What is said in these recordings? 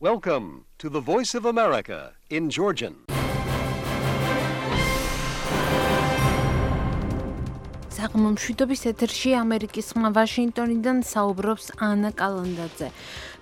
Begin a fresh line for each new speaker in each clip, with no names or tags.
Welcome to the Voice of America in Georgian.
საღმომშვიდობის ეთერში ამერიკის ხმა ვაშინგტონიდან საუბრობს ანა კალანდაძე.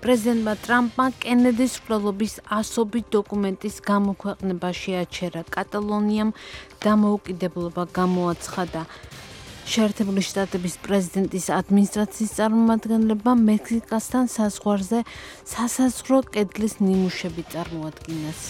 პრეზიდენტმა ტრამპმა კენედის მკვლელობის ასობით დოკუმენტის გამოქვეყნება შეაჩერა. კატალონიამ დამოუკიდებლობა გამოაცხადა. შეერთებული შტატების პრეზიდენტის ადმინისტრაციის წარმომადგენლებმა მექსიკასთან საზღვარზე სასაზღვრო კედლის ნიმუშები წარმოადგინეს.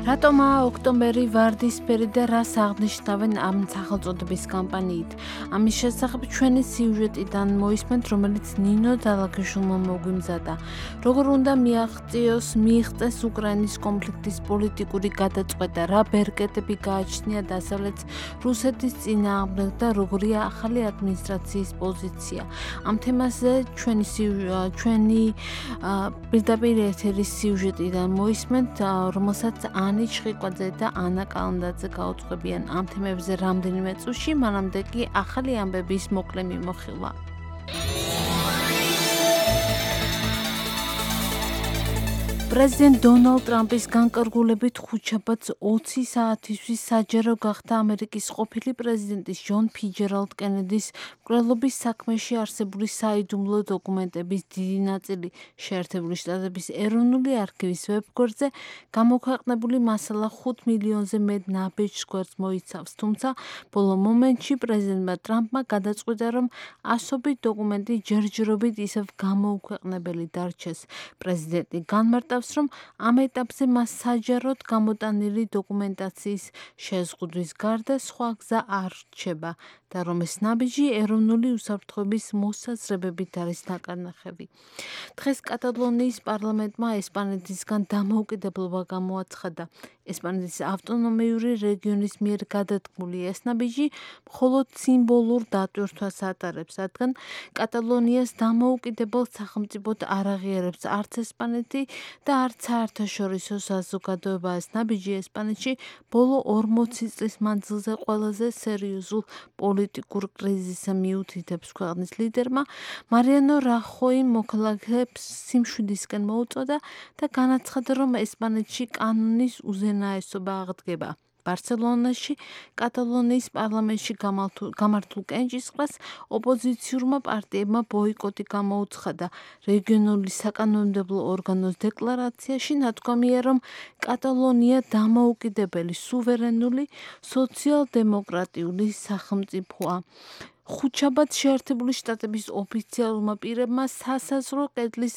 რატომაა ოქტომბერი ვარდისფერი და რას აღნიშნავენ ამ სახელწოდების კამპანიით? ამის შესახებ ჩვენი სიუჟეტიდან მოისმენთ, რომელიც ნინო დალაგიშვილმა მოგვიმზადა. როგორ უნდა მიიღწეს უკრაინის კონფლიქტის პოლიტიკური გადაწყვეტა, რა ბერკეტები გააჩნია დასავლეთს რუსეთის წინააღმდეგ და როგორია ახალი ადმინისტრაციის პოზიცია. ამ თემაზე ჩვენი პირდაპირ ეთერის სიუჟეტიდან მოისმენთ, რომელსაც ჩხიკვაძე და ანა კალანდაძე გაუძღვებიან ამ თემებზე რამდენიმე წუთში, მანამდე კი ახალი ამბების მოკლე მიმოხილვა. პრეზიდენტ დონალდ ტრამპის განკარგულებით ხუთშაბათს 20 საათისთვის საჯარო გახდა ამერიკის ყოფილი პრეზიდენტის ჯონ ფიჯერალდ კენედის მკვლელობის საქმეში არსებული საიდუმლო დოკუმენტების დიდი ნაწილი შეერთებული შტატების ეროვნული არქივის ვებგვერდზე გამოქვეყნებული მასალა 5 მილიონზე მეტ ნაბეჭდ გვერდს მოიცავს, თუმცა ბოლო მომენტში პრეზიდენტმა ტრამპმა გადაწყვიტა, რომ ასობით დოკუმენტი ჯერჯერობით ისევ გამოუქვეყნებელი დარჩეს. პრეზიდენტი განმარტავს, რომ ამ ეტაპზე მას საჯაროდ გამოტანილი დოკუმენტაციის შეზღუდვის გარდა სხვა გზა არ რჩება და რომ ეს ნაბიჯი ეროვნული უსაფრთხოების მოსაზრებებით არის ნაკარნახევი. დღეს კატალონიის პარლამენტმა ესპანეთისგან დამოუკიდებლობა გამოაცხადა. ესპანეთის ავტონომიური რეგიონის მიერ გადადგმული ეს ნაბიჯი მხოლოდ სიმბოლურ დატვირთვას ატარებს, რადგან კატალონიას დამოუკიდებელ სახელმწიფოდ არ აღიარებს არც ესპანეთი და არც საერთაშორისო საზოგადოება. ეს ნაბიჯი ესპანეთში ბოლო 40 წლის მანძილზე ყველაზე სერიოზულ პოლიტიკურ კრიზისს მიუთითებს. ქვეყნის ლიდერმა მარიანო რახოიმ მოქალაქეებს სიმშვიდისკენ მოუწოდა და განაცხადა, რომ ესპანეთში კანონის უზენაესობა აღდგება. ბარსელონაში კატალონიის პარლამენტში გამართულ კენჭისყრას ოპოზიციურმა პარტიებმა ბოიკოტი გამოუცხადა. რეგიონული საკანონმდებლო ორგანოს დეკლარაციაში ნათქვამია, რომ კატალონია დამოუკიდებელი, სუვერენული, სოციალ-დემოკრატიული სახელმწიფოა. ხუთშაბათს შეერთებული შტატების ოფიციალურმა პირებმა სასაზღვრო კედლის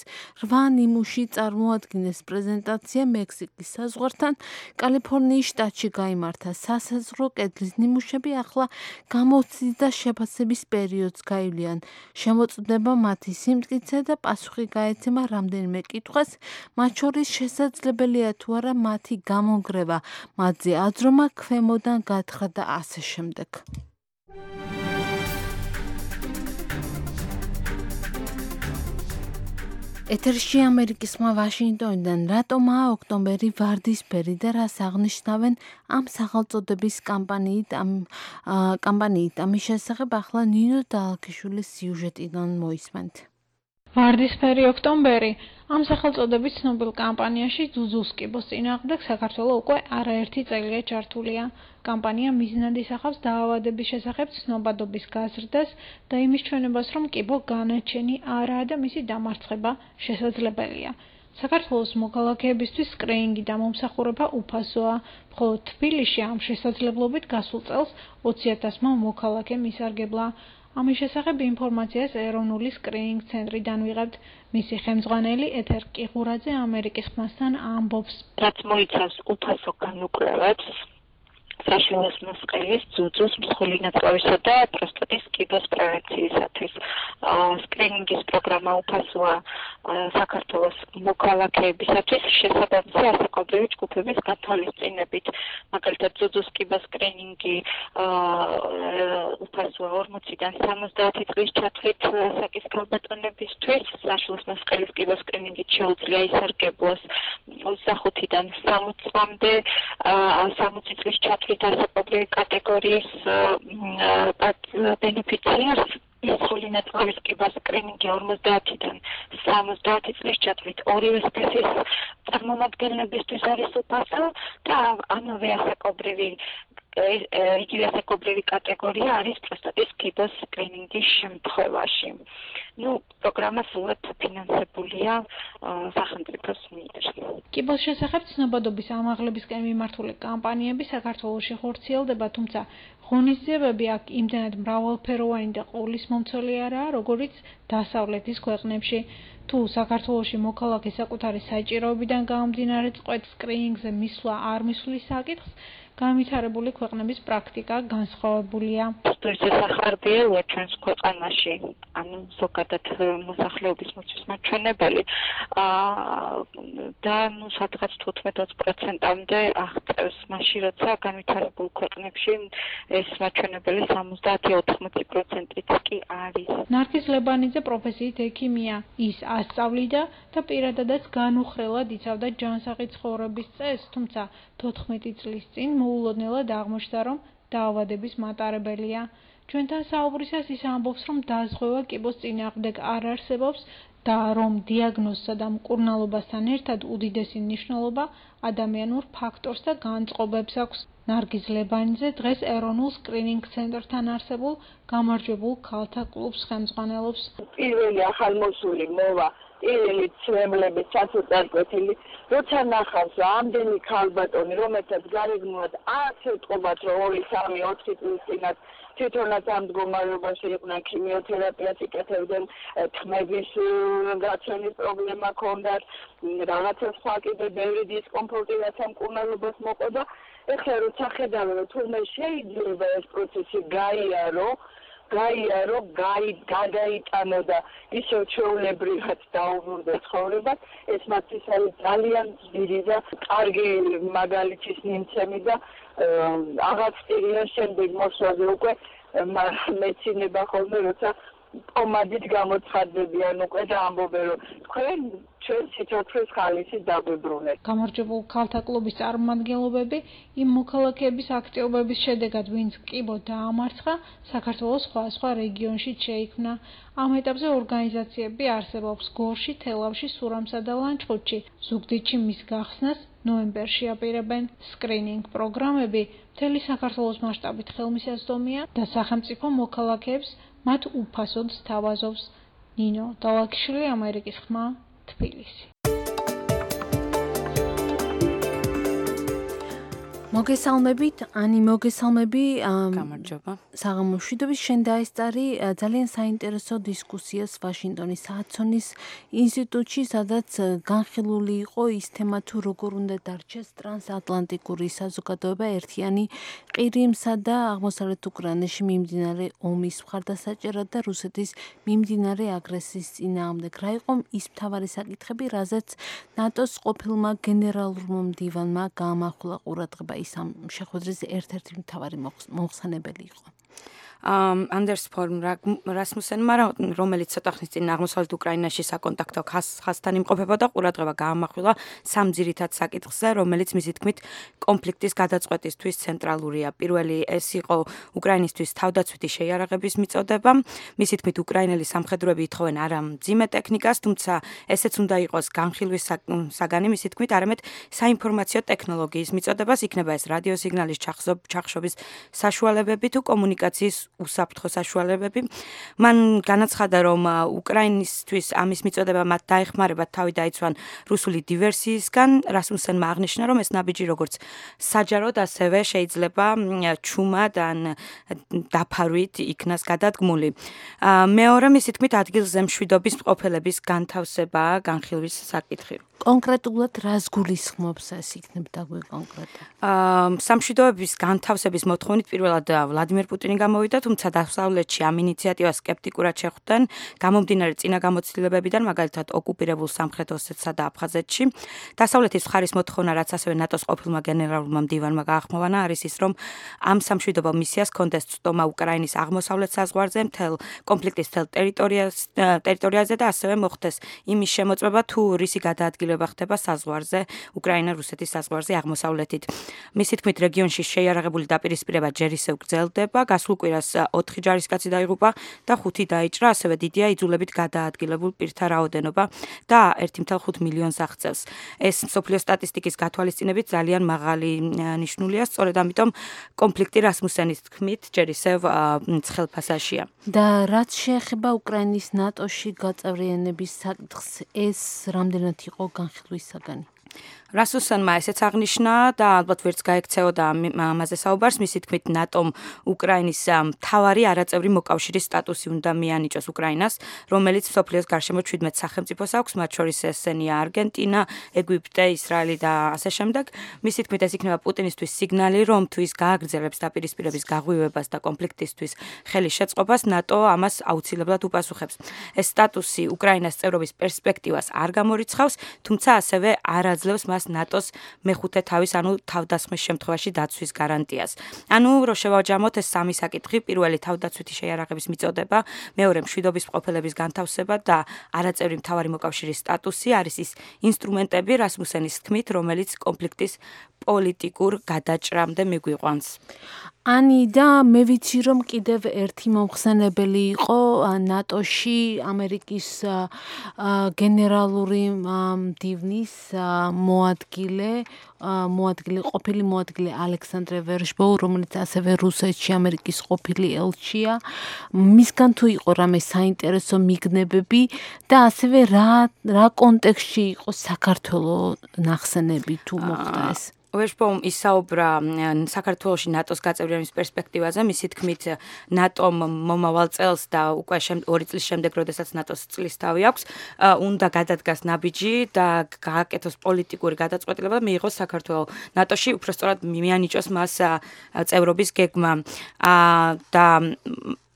8 ნიმუში წარმოადგინეს. პრეზენტაცია მექსიკის საზღვართან კალიფორნიის შტატში გაიმართა. სასაზღვრო კედლის ნიმუშები ახლა გამოცდის და შეფასების პერიოდს გაივლიან. შემოწმდება მათი სიმტკიცე და პასუხი გაეცემა რამდენიმე კითხვას, მათ შორის შესაძლებელია თუ არა მათი გამონგრევა, მათზე აზრომა, ქვემოდან გათხრა და ასე შემდეგ. ეთერში ამერიკის ხმა ვაშინგტონიდან. რატომაა ოქტომბერი ვარდისფერი და რას აღნიშნავენ ამ სახელწოდების კამპანიით? ამის შესახებ ახლა ნინო დალაგიშვილის სიუჟეტიდან მოისმენთ.
ვარდისფერი ოქტომბერი ამ სახელწოდების ცნობილ კამპანიაში ზუზუს კიბოს წინააღმდეგ საქართველო უკვე არაერთი წელია ჩართულია. კამპანია მიზნად ისახავს დაავადების შესახებ ცნობადობის გაზრდას და იმის ჩვენებას, რომ კიბო განაჩენი არაა და მისი დამარცხება შესაძლებელია. საქართველოს მოქალაქეებისთვის სკრინინგი და მომსახურება უფასოა, მხოლოდ თბილისში ამ შესაძლებლობით გასულ წელს 20,000-მა მოქალაქემ ისარგებლა. ამის შესახებ ინფორმაციას ეროვნული სკრინინგ ცენტრიდან ვიღებთ. მისი ხელმძღვანელი ეთერ კიღურაძე ამერიკის ხმასთან ამბობს.
რაც მოიცავს უფასო განუკვლევებს, საშინოს მოსყელის, ძუძუს, მსხვილი ნაწლავისა და პროსტატის კიბოს პრევენციისათვის. სკრინინგის პროგრამა უფასოა საქართველოს მოქალაქეებისათვის შესაბამისი ასაკობრივი ჯგუფების გათვალისწინებით. მაგალითად, ძუძუს კიბოს სკრინინგი უფასოა 40-დან 70 წლის ჩათვლით ასაკის ქალბატონებისთვის, საშინოს მოსყელის კიბოს სკრინინგით შეუძლია ისარგებლოს 25-დან 60 წლამდე 60 წლის ჩათვლით ჩათვლით ასაკობრივი კატეგორიის ბენეფიციარს ინსულინად ყოლის კიბოს სკრინინგი 50-დან 70 წლის ჩათვლით ორივე სქესის წარმომადგენლებისთვის არის უფასო და ამავე ასაკობრივი იგივე ასაკობრივი კატეგორია არის პროსტატის კიბოს სკრინინგის შემთხვევაში. პროგრამა სულად ფინანსებულია სახელმწიფოს მიერ.
კიბოს შესახებ ცნობადობის ამაღლებისკენ მიმართული კამპანიები საქართველოში ხორციელდება, თუმცა ღონისძიებები აქ იმდენად მრავალფეროვანი და ყოვლისმომცველი არაა, როგორიც დასავლეთის ქვეყნებში. თუ საქართველოში მოქალაქე საკუთარი საჭიროებიდან გამომდინარე წყვეტ სკრინინგზე მისვლა არ მისვლის საკითხს, განვითარებული ქვეყნების პრაქტიკა განსხვავებულია.
შესახარბია ჩვენს ქვეყანაში, ანუ ზოგადად მოსახლეობის მოცვის მაჩვენებელი და სადღაც 15-20%-მდე აღწევს, მაშინ როცა განვითარებულ ქვეყნებში ეს მაჩვენებელი 70-80%-იც კი არის.
ნარგიზ ლებანიძე პროფესიით ექიმია. ის ასწავლიდა და პირადადაც განუხრელად იცავდა ჯანსაღი ცხოვრების წესს, თუმცა 14 წლის წინ მოულოდნელად აღმოჩნდა, რომ დაავადების მატარებელია. ჩვენთან საუბრისას ის ამბობს, რომ დაზღვევა კიბოს წინააღმდეგ არ არსებობს და რომ დიაგნოზსა და მკურნალობასთან ერთად უდიდესი მნიშვნელობა ადამიანურ ფაქტორს და განწყობებს აქვს. ნარგიზ ლებანიძე დღეს ეროვნულ სკრინინგ ცენტრთან არსებულ გამარჯვებულ ქალთა კლუბს ხელმძღვანელობს.
პირველი ახალმოსული მოვა პირველი ცვლილებების საწუწარკვეთილი, როცა ნახავს ამდენი ქალბატონი, რომელთაც გარეგნულად არ ეთყობათ, რომ 2-3-4 წლის წინათ თვითონაც ამ მდგომარეობაში იყვნენ, ქიმიოთერაპიას იკეთებდნენ, თმების გაცვენის პრობლემა ჰქონდათ, რაღაცა სხვა კიდე ბევრი დისკომფორტი რაც ამ მკურნალობას მოყოდა. ეხლა როცა ხედავენ, რომ თურმე შეიძლება ეს პროცესი გადაიტანო და ისე ჩვეულებრივად დაუბრუნდა ცხოვრებას, ეს მათთვის არის ძალიან ძლიერი და კარგი მაგალითის მიმცემი და აღარ ვწირიან შემდეგ მოსვლაზე უკვე მეცინება ხოლმე, როცა პომადით გამოცხადდებიან უკვე და ამბობენ, რომ თქვენ ჩვენ სიცოცხლის ხალისი დაგვიბრუნეთ.
გამარჯვებულ ქალთა კლუბის წარმომადგენლობები იმ მოქალაქეების აქტივობების შედეგად, ვინც კიბო დაამარცხა, საქართველოს სხვა რეგიონში შეიქმნა. ამ ეტაპზე ორგანიზაციები არსებობს გორში, თელავში, სურამსა და ლანჩხუთში. ზუგდიდში მის გახსნას ნოემბერში აპირებენ. სკრინინგ პროგრამები მთელი საქართველოს მასშტაბით ხელმისაწვდომია და სახელმწიფო მოქალაქეებს მათ უფასოდ სთავაზობს. ნინო დალაკიშვილი, ამერიკის ხმა, თბილისი. მოგესალმებით, ანი მოგესალმები.
გამარჯობა.
საღამოშვიდობის შენ დაესწარი ძალიან საინტერესო დისკუსიას ვაშინგტონის ჰადსონის ინსტიტუტში, სადაც განხილული იყო ის თემა, თუ როგორ უნდა დარჩეს ტრანსატლანტიკური საზოგადოება ერთიანი ყირიმსა და აღმოსავლეთ უკრაინაში მიმდინარე ომის მხარდასაჭერად და რუსეთის მიმდინარე აგრესიის წინააღმდეგ. რა იყო ის მთავარი საკითხები, რაზეც ნატოს ყოფილმა გენერალურმა მდივანმა გაამახვილა ყურადღება, ის ამ შეხვედრის ერთ-ერთი მთავარი მოხსენებელი იყო.
Anders Form Rasmussenმა, რომელიც ცოტა ხნის წინ აღმოსავლეთ უკრაინაში საკონტაქტო ხაზთან იმყოფებოდა, ყურადღება გაამახვილა სამ ძირითად საკითხზე, რომელიც მისი თქმით კონფლიქტის გადაწყვეტისთვის ცენტრალურია. პირველი ეს იყო უკრაინისთვის თავდაცვითი შეიარაღების მიწოდება. მისი თქმით უკრაინელი სამხედროები ითხოვენ არა მძიმე ტექნიკას, თუმცა ესეც უნდა იყოს განხილვის საგანი, მისი თქმით არამედ საინფორმაციო ტექნოლოგიის მიწოდებას, იქნება ეს რადიო სიგნალის ჩახშობის საშუალებები თუ კომუნიკაციის უსაფრთხო საშუალებები. მან განაცხადა, რომ უკრაინისთვის ამის მიწოდება მათ დაეხმარება თავი დაიცვან რუსული დივერსიისგან. რასმუსენმა აღნიშნა, რომ ეს ნაბიჯი როგორც საჯაროდ, ასევე შეიძლება ჩუმად ან დაფარვით იქნას გადადგმული. მეორე, მისი თქმით, ადგილზე მშვიდობის მყოფელების განთავსებაა განხილვის საკითხი.
კონკრეტულად რას გულისხმობს ეს იქნებ და კონკრეტულად?
სამშვიდობების განთავსების მოთხოვნით პირველად ვლადიმერ პუტინი წინ გამოვიდა, თუმცა დასავლეთში ამ ინიციატივას სკეპტიკურად შეხვდნენ, გამომდინარე წინა გამოცდილებებიდან, მაგალითად ოკუპირებულ სამხრეთ ოსეთსა და აფხაზეთში. დასავლეთის მხარის მოთხოვნა, რაც ასევე ნატოს ყოფილმა გენერალურმა მდივანმა გაახმოვანა, არის ის, რომ ამ სამშვიდობო მისიას ჰქონდეს წტომა უკრაინის აღმოსავლეთ საზღვარზე, მთელ კონფლიქტის მთელ ტერიტორიაზე და ასევე მოხდეს იმის შემოწმება, თუ რისი გადაადგილება ხდება საზღვარზე, უკრაინა-რუსეთის საზღვარზე აღმოსავლეთით. მისი თქმით, რეგიონში შეიარაღებული დაპირისპირება ჯერ ისევ გრძელდება, გასულ კვირას 4 ჯარისკაცი დაიღუპა და 5 დაიჭრა, ასევე დიდია იძულებით გადაადგილებულ პირთა რაოდენობა და 1.5 მილიონს აღწევს. ეს მსოფლიო სტატისტიკის გათვალისწინებით ძალიან მაღალი ნიშნულია, სწორედ ამიტომ კონფლიქტი რასმუსენის თქმით ჯერ ისევ ცხელ ფასაშია.
და რაც შეეხება უკრაინის ნატოში გაწევრიანების საკითხს, ეს რამდენად იყო განხილვის საგანი?
რასმუსენმა ესეც აღნიშნა და ალბათ ვერც გაექცეოდა ამაზე საუბარს, მისი თქმით ნატომ უკრაინის მთავარი არაწევრი მოკავშირის სტატუსი უნდა მიანიჭოს უკრაინას, რომელიც მსოფლიოს გარშემო 17 სახელმწიფოს აქვს, მათ შორის ესენია არგენტინა, ეგვიპტე, ისრაელი და ასე შემდეგ. მისი თქმით ეს იქნება პუტინისთვის სიგნალი, რომ თუ ის გააგრძელებს დაპირისპირების გაღვივებას და კონფლიქტისთვის ხელის შეწყობას, ნატო ამას აუცილებლად უპასუხებს. ეს სტატუსი უკრაინას წევრობის პერსპექტივას არ გამორიცხავს, თუმცა ასევე არ აძლევს მას ნატოს მეხუთე თავის, ანუ თავდასხმის შემთხვევაში დაცვის გარანტიას. ანუ რო შევაჯამოთ ეს სამი საკითხი, პირველი თავდაცვითი შეიარაღების მიწოდება, მეორე მშვიდობის მყოფელების განთავსება და არაწევრი მთავარი მოკავშირის სტატუსი არის ის ინსტრუმენტები, რასმუსენის თქმით, რომელიც კონფლიქტის პოლიტიკურ გადაჭრამდე მიგვიყვანს.
Ani და მე ვიცი რომ კიდევ ერთი მომხსენებელი იყო ნატოში ამერიკის გენერალური მდივნის ყოფილი მოადგილე ალექსანდრე ვერშბოუ, რომელიც ასევე რუსეთში ამერიკის ყოფილი ელჩია. მისგან თუ იყო რამე საინტერესო მიგნებები და ასევე რა კონტექსტში იყო საქართველოს ნახსენები თუ მოხდა ეს?
ვერშბოუმ ისაუბრა საქართველოში ნატოს გაწევრიანების პერსპექტივაზე, მისი თქმით ნატომ მომავალ წელს და უკვე 2 წლის შემდეგ, როდესაც ნატოს წლისთავი აქვს, უნდა გადადგას ნაბიჯი და გააკეთოს პოლიტიკური გადაწყვეტილება და მიიღოს საქართველოს ნატოში, უბრალოდ მიანიჭოს მას წევრობის გეგმა და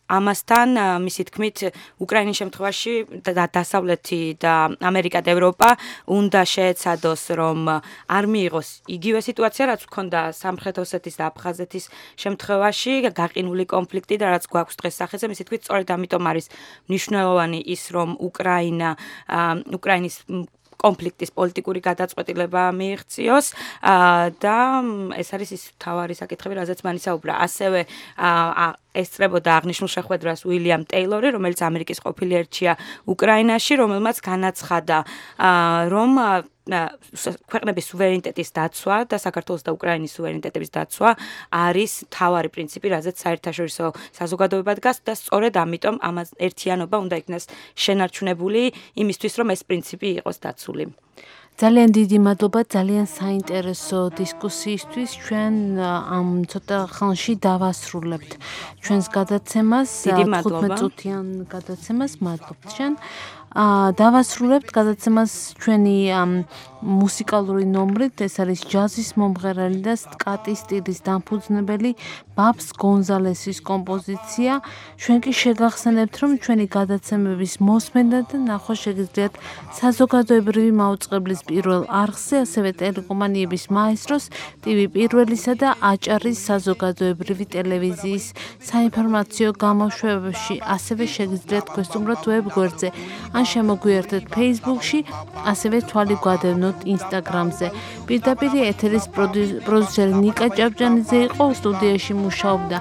ამასთან მისი თქმით უკრაინის შემთხვევაში დასავლეთი და ამერიკა და ევროპა უნდა შეეცადოს რომ არ მიიღოს იგივე სიტუაცია რაც ჰქონდა სამხრეთ ოსეთის და აფხაზეთის შემთხვევაში გაყინული კონფლიქტი და რაც გვაქვს დღეს სახეზე მისი თქმით სწორედ ამიტომ არის მნიშვნელოვანი ის რომ უკრაინის კონფლიქტის პოლიტიკური გადაწყვეტილება მიიღწიოს და ეს არის ის თავარი საკითხები, რაზეც მან ისაუბრა. ასევე ესწრებოდა აღნიშნულ შეხვედრას უილიამ ტეილორი, რომელიც ამერიკის ყოფილი ელჩია უკრაინაში, რომელმაც განაცხადა, რომ ქვეყნების სუვერენიტეტის დაცვა და საქართველოს და უკრაინის სუვერენიტეტების დაცვა არის თავარი პრინციპი, რაზეც საერთაშორისო საზოგადოება დგას და სწორედ ამიტომ ამას ერთიანობა უნდა იქნას შენარჩუნებული იმისთვის, რომ ეს პრინციპი იყოს დაცული.
ძალიან დიდი მადლობა ძალიან საინტერესო დისკუსიისთვის. ჩვენ ამ ცოტა ხანში დავასრულებთ ჩვენს გადაცემას, 15 წუთიან გადაცემას. მადლობთ შენ. დავასრულებთ გადაცემას ჩვენი მუსიკალური ნომრით, ეს არის ჯაზის მომღერალი და სკატის სტილის დამფუძნებელი ბაბს გონზალესის კომპოზიცია. ჩვენ კი შეგახსენებთ, რომ ჩვენი გადაცემების მოსმენა და ნახვა შეგიძლიათ საზოგადოებრივი მაუწყებლის პირველ არხზე, ასევე ტელეკომპანიების მაესტროს, TV პირველისა და აჭარის საზოგადოებრივი ტელევიზიის საინფორმაციო გამოშვებებში, ასევე შეგიძლიათ გვესტუმროთ ვებ გვერდზე, ან შემოგვიერთეთ Facebook-ში, ასევე თვალი გვადევნოთ Instagram-ზე. პირდაპირ ეთერის პროდიუსერი ნიკა ჭავჭანიძე იყო, სტუდიაში მუშაობდა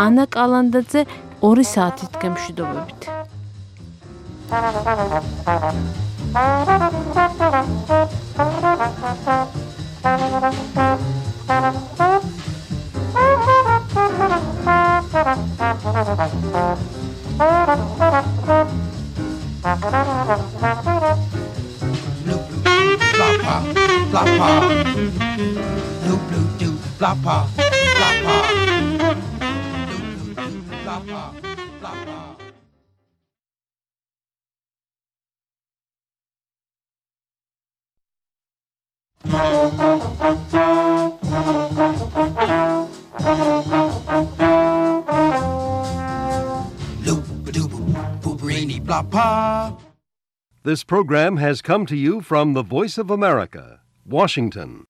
ანა კალანდაძე. 2 საათით გემშვიდობებით.
Floppa, floppa, blue blue do, floppa, floppa, blue blue do, floppa, floppa. pa.
This program has come to you from the Voice of America, Washington.